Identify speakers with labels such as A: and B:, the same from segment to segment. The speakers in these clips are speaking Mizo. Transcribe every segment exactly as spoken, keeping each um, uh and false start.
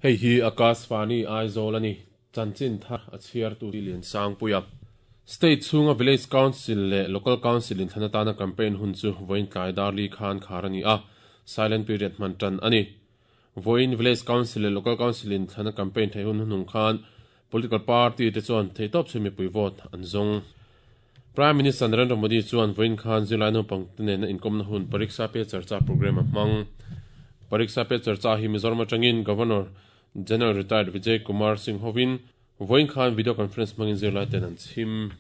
A: Hei hi Akashvani Aizawl ani chanchin thar a chhiar tu lian sang puia State chhunga Village Council leh Local Council in thlanatana campaign hun chu voin tlai dar li khan khar ani a silent period man tan ani voin Village Council leh Local Council in thlana campaign thei hun hunung khan political party te chuan theitawp chumi pui vote an zawng Prime Minister Narendra Modi chuan voin khan zirlai naupang te nena inkawmna hun Pariksha Pe Charcha program a hmang Pariksha Pe Charcha hi Mizoram atangin Governor General Retired Vijay Kumar Singh hovin voin khan video conference hmangin zirlai ten an chhim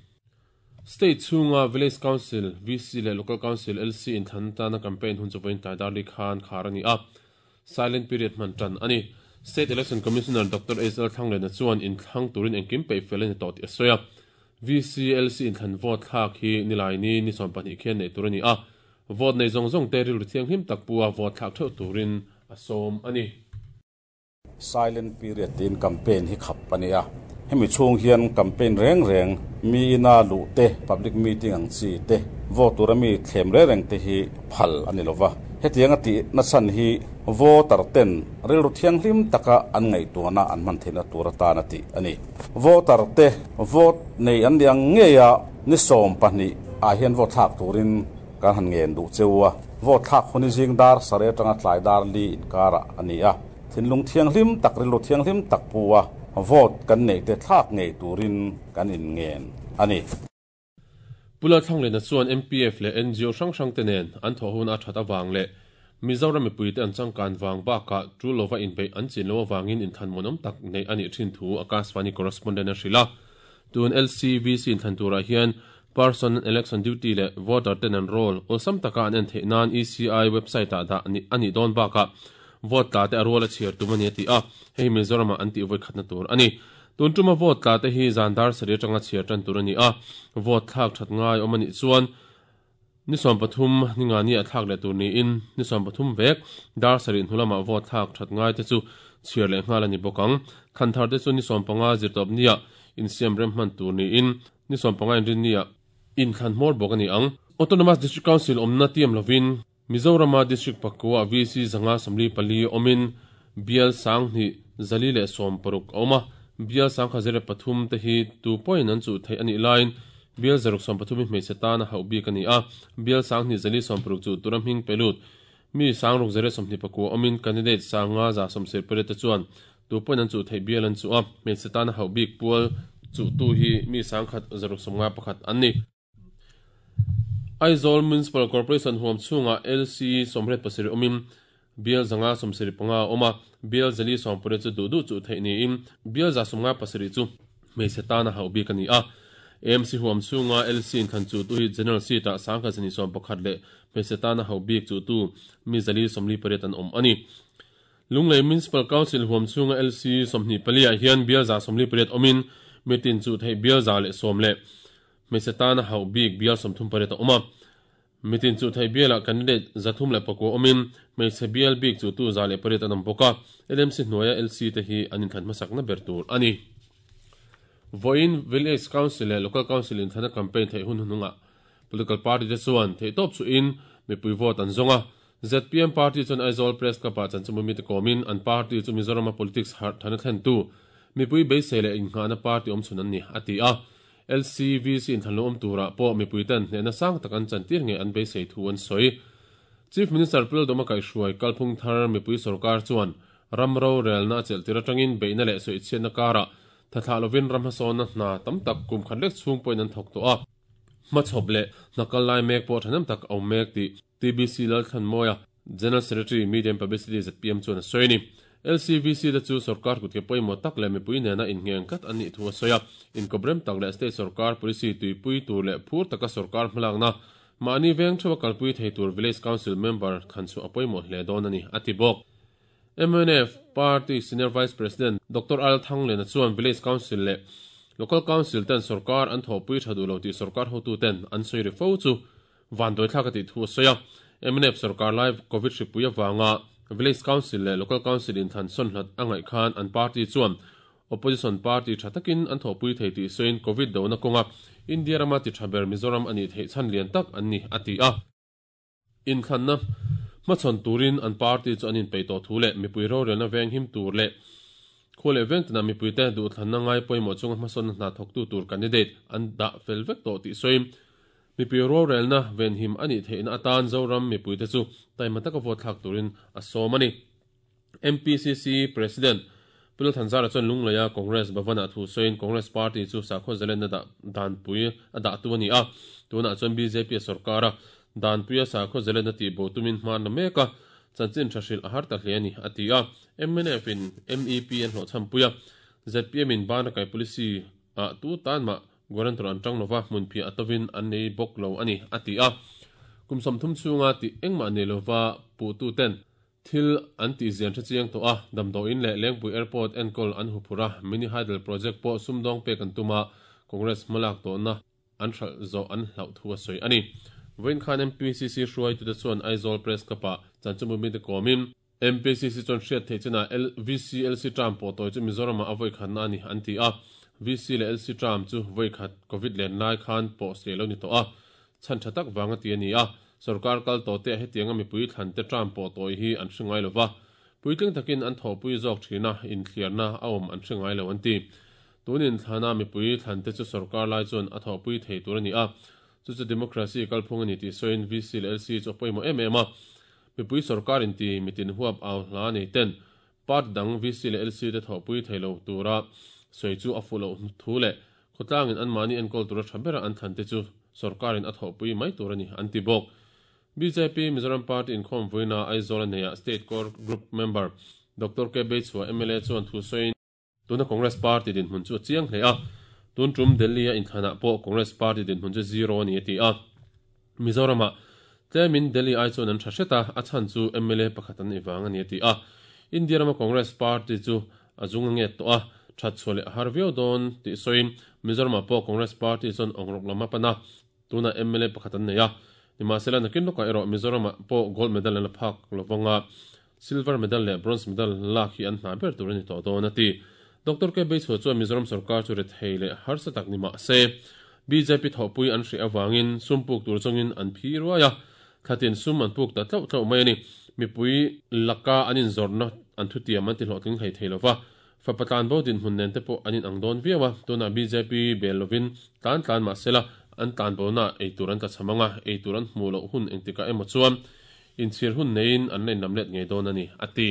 A: State chhunga Village Council V C leh Local Council L C in thlanatana campaign hun chu voin tlai dar li khan khar ani a silent period hman tan ani State Election Commissioner Doctor S L Thanglena chuan in thlang turin engkim pei fel ani tawh tih a sawi a V C L C in thlan vote thlak hi nilai ni ni sawm pahnih khian nei tur ani a vote nei zawng zawng te rilru thianghlim tak pua vote thlak theuh turin a sawm ani
B: Silent period tin campaign hi khap ani a hemi chhung hian campaign reng reng mi ina lu te public meeting ang chi te vote tur ami thlem re reng te hi phal ani lova hetiang ati na chan hi voter ten rilru thianghlim taka an ngai tuana an man theina tur atan ati ani voter te vote nei an liang nge ya ni som pahnih a hian vote thlak turin kan han ngen du chewa vote thlak huni jing dar sare tanga tlai dar li inkara ani a thinlung thianghlim tak rilru thianghlim tak puwa vote kan nei te thlak ngei turin kan in ngen ani
A: Pula Thanglena chuan M P F leh N G O hrang hrang te nen an thaw hun a that awang leh Mizoram mipui te an changkan wang baka tu lova in bei an chin lo awangin in than monom tak nei ani thin thu Akashvani correspondent a hrila tun L C V C in than tura hian person election duty le voter ten an roll awlsam taka an en theih nan E C I website ah dah ani dawn baka vote tla te a rual a chhiar tum ani ti a hei Mizoram an ti voi khatna tur ani tun tuma vote tla te hi zandar sari atanga chhiar tan tur ani a vote thlak that ngai awm ani chuan ni som pathum ninga ni a thlak le tur ni in ni som pathum vek dar sari hnulama vote thlak that ngai te chu chhiar le ngal ani bokang khanthar te chu ni som panga zirtawp nia in siam rem hman tur ni in ni som panga in rin nia in thlan hmawr bawk ani ang Autonomous District Council awmna tiam lovin Mizorama District pakua V C zanga samli pali omin bial sang ni zali le som paruk awma bial sang khazere pathum te hi tu point an chu thei ani line bial zaruk som pathum mi setana hau bi kani a bial sang ni zali som paruk chu turam hing pelut mi sang ruk zere som ni pakua omin candidate sanga za som ser pere te chuan tu point an chu thei bial an chu a me setana hau bi pual chu tu hi mi sang khat zaruk som nga pakhat an ni Aizawl Municipal Corporation huam chhunga L C somret pasiri omin bial zanga somsiri panga oma bial zali sompure chu du du chu theini in bial za somnga pasiri chu meisetana hau bi kani a M C huam chhunga L C in khan chu tu hi general seat a sangkha zani som pakhat le meisetana hau bi chu tu mi zali somli pariat an om ani Lunglei Municipal Council huam chhunga L C somni palia hian bial za somli pariat omin mitin chu thei bial za le som le meisetana hau bik bial somthum pariat oma mitin chu thei biala candidate zathum le pako omin meise bial bik chu tu za le pariat anam boka L M C hnuaia L C te hi anin than hmasak na ber tur ani voin Village Council le Local Council in thana campaign thei hun hununga political party te chuan thei top chu in mipui vote an zonga Z P M party chuan Aizawl Press Club ah chan chumumi te komin an party chu Mizoram politics har thana thlen tu mipui beisei le inghana party awm chhun an ni ati a L C V C in thanlo awm tura pawh mipui ten hnehna sang tak an chantir nge an beisei thu an sawi Chief Minister Pul Doma Kaihhruai kalphung thar mipui sarkar chuan ramro relna chelh tir atangin beihna leh sawichhiatna karah thathlah lovin ram hmasawnna hna tam tak kum khat lek chhung pawhin an thawk tawh a hmachhawp leh hnakal lai mek pawh thahnem tak awm mek tih T B C Lalthanmawia General Secretary Media and Publicity Z P M chuan a sawi ni L C V C te chu sarkar kut ke pawimawh tak leh mipui nena inngeng kat an nih thu a sawi a inkobrem tak leh state sarkar policy tuipui tur leh phur taka sarkar hmalakna mahni veng thewa kalpui thei tur Village Council member khan chu a pawimawh hle dawn ani ati bawk M N F Party Senior Vice President Doctor Al Thanglena chuan Village Council leh Local Council ten sarkar an thawpui tha duh lo tih sarkar hotu ten an sawi ri fo chu van doi thlak a tih thu a sawi a M N F sarkar lai COVID hripui awanga Village Council leh Local Council in than sawn hlat a ngaih khan an party chuan opposition party tha takin an thawpui thei tih sawiin COVID dona kawnga India rama ti tha ber Mizoram ani theih chhan lian tak an ni ati a in thlanna hmachhawn turin an party chu an inpeih tawh thu leh mipui rorelna veng him tur leh Khole veng mi puite du thlan na ngai poimo chunga hmason na thok tu tur candidate an da felvek to ti soim mi pi ro rel na ven him ani theina atan Zoram mi puite chu taima taka vote thak turin a somani M P C C President Pul Thanzara chon lunglaya Congress Bhavana thu soin Congress Party chu sakho zalen na da dan pui a da tu ani a tuna chon B J P sarkara dan puia sakho zalen na ti bo tumin hman na meka chanchin thashil ahar ta hleni atia M N F in M E P an hlo champuia Z P M in ban kai policy a tu tan ma guarantor an tang nova munphi atovin an nei bok lo ani atia kumsom thum chunga ti engma ne lova pu tu ten thil anti zian tha chiang to a damdo in le Lengpui airport enkol an hupura mini hydel project po sumdong pe kan tuma Congress malak to na an thal zo an hlau thua soi ani Wen Khan M P C C hruai tu te chuan Aizawl Press Club-ah chanchimbu mi te kawmin M P C C chuan hriat theih chena V C L C term pawh tawi chu Mizoram-ah a vawi khat na ani an ti a V C leh L C term chu vawi khat COVID len lai khan pawh se lo ni tawh a chhan tha tak wanga ti ani a sarkar kal to te hetianga mipui thlan te term pawh tawi hi an hringai lova puitling takin an thawpui zawk thina inthliarna a awm an hringai lo an ti tunin thlana mipui thlan te chu sarkar lai chuan a thawpui thei tur ani a chu chu democracy kalphung ani ti soin V C leh L C chu pawimawh em em a mipui sarkar in ti mitin huap aw hla nei ten part dang V C leh L C te thawpui theilo tura soi chu a fulo thu le khawtlangin an mani enkawl tura tha bera an thlan te chu sarkarin a thawpui mai tur ani an ti bawk B J P Mizoram Party in khawm vuina Aizawl neia State Core Group member Doctor K Beichhua M L A chuan thu soin tuna Congress Party din hmun chu chiang hle a tun tum Delhi a inthana pawh Congress Party din hmun chu zero ani ti a Mizorama tlemin Delhi ai chuan an tha hreta a chhan chu M L A pakhat an iwang ani ti a India rama Congress Party chu a zung nge to a that chhole har viau don ti soin Mizorama pawh Congress Party chuan ongrok lama pana tuna M L A pakhat an nei a nimasela nakin loka ero Mizorama pawh gold medal an la phak lovanga silver medal leh bronze medal lak hi an hna ber tur ani tawh dawn a ti Doctor K Beichhua chuan Mizoram sarkar chu re thei leh harsa tak ni ma se B J P thawpui an hri awangin sumpuk tur chungin an phi ruai a thatin sum an puk ta tlau tlau mai ani mipui laka anin zorna an thutiam an ti hlawhtling thei thei lova fapatlan bo din hmun nen te pawh anin ang dawn viau a tuna B J P bel lovin tlan tlan ma sela an tlan bo na eitur an tla chamanga eitur an hmu loh hun engtika emaw chuan inchhir hun neiin an len lam let ngei dawn ani ati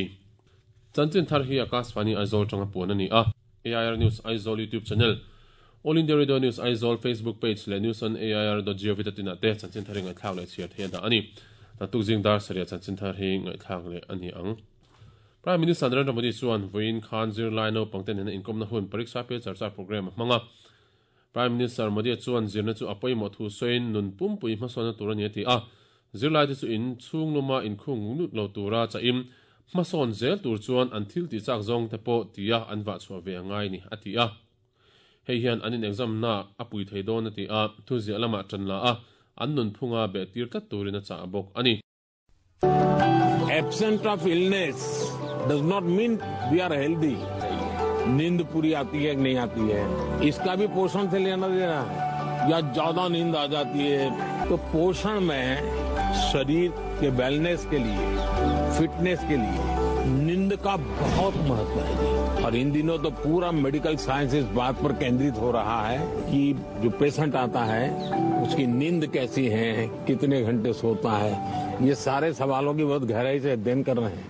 A: Chanchin thar hi Akashvani Aizawl tanga puan ani a A I R News Aizawl YouTube channel All India Radio News Aizawl Facebook page le news on A I R dot gov dot in te chanchin thar ngai thlak le chhiar thei da ani ta tuk jing dar saria chanchin thar hi ngai thlak le ani ang Prime Minister Narendra Modi chuan voin khan zirlai no pangten hena inkom na hun pariksha pe charcha program hmanga Prime Minister Modi chuan zirna chu apoimo thu soin nun pumpui hmasona tur ani ti a zirlai te chu in chung luma in khung nut lo tura cha im hmasawn zel tur chuan an thil ti chak zawng te pawh tia an vah chhuah ve angai ni a ti a hei hian an in exam na a pui thei dawn a ti a thu ziah lamah tan la a an nun phunga be tir tlat turin a chah bawk ani
C: Absent of illness does not mean we are healthy. नींद पूरी आती है कि नहीं आती है इसका भी पोषण से लेना देना है या ज्यादा नींद आ जाती है तो पोषण में शरीर के वेलनेस के लिए फिटनेस के लिए नींद का बहुत महत्व है जी। और इन दिनों तो पूरा मेडिकल साइंस इस बात पर केंद्रित हो रहा है कि जो पेशेंट आता है उसकी नींद कैसी है कितने घंटे सोता है ये सारे सवालों की बहुत गहराई से अध्ययन कर रहे हैं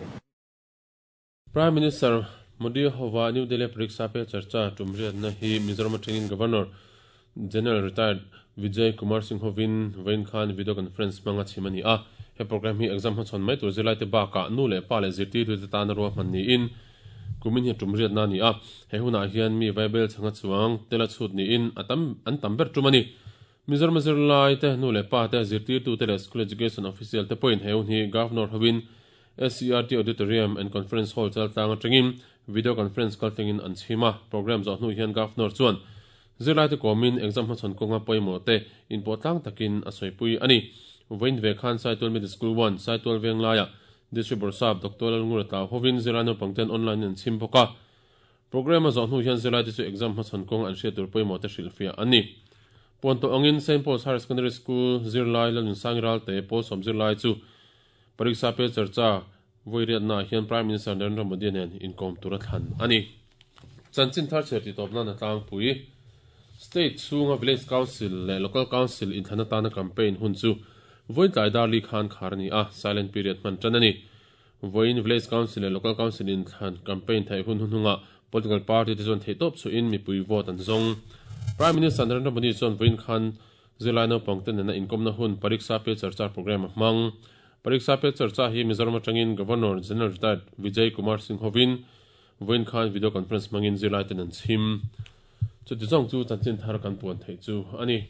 A: Prime Minister Modi hova New Delhi Pariksha Pe Charcha tumriat na hi Mizoram Training Governor General Retired Vijay Kumar Singh hovin Vain Khan video conference manga chimani a he program hi exam ho chon mai tur zilai te ba ka nu le pa le zirti tu te tan ro man ni in kumin hi tumriat na ni a he huna hian mi vaibel changa chuang tela chhut ni in atam an tamber tumani Mizoram zirlai te nu le pa te zirti tu te le school education official te point he hun hi governor hovin S C R T Auditorium and Conference Hall chal tang atangin video conference kal tengin an chhima program zo hnu hian governor chuan zirlai te komin exam ho chon konga poimo te in potlang takin a soipui ani voin ve khan Saitual Middle School one Saitual Venglaya District Borsap Doctor Lalngura Tlau hovin zirlai pangten online an chhim boka program a zo hnu hian zirlai te chu exam ho chon kong an hriat tur poimo te hrilhfiah ani ponto angin Saint Paul's Higher Secondary School zirlai lalun sangral te pawl sawm zirlai chu Pariksha Pe Charcha voiriat na hian Prime Minister Narendra Modi nen inkom tura thlan ani Chanchin thar chhiar ti tawp nan a tlangpui. State chhunga Village Council leh Local Council inthlan atana campaign hun chu vawiin tlai dar li khan khar a ni a, silent period hman tan a ni. Vawiin Village Council leh Local Council inthlan campaign theih hun hunhungah political party te chuan theihtawp chhuahin mipui vote an zawng. Prime Minister Narendra Modi chuan vawiin khan zirlai naupang te nena inkawmna hun Pariksha Pe Charcha programme a hmang. Pariksha Pe Charcha hi Mizoram atangin Governor General Retired Vijay Kumar Singh hovin vawiin khan video conference hmangin zirlai ten an chhim. Chuti zawng chu chanchin thar kan puan theih chu a ni.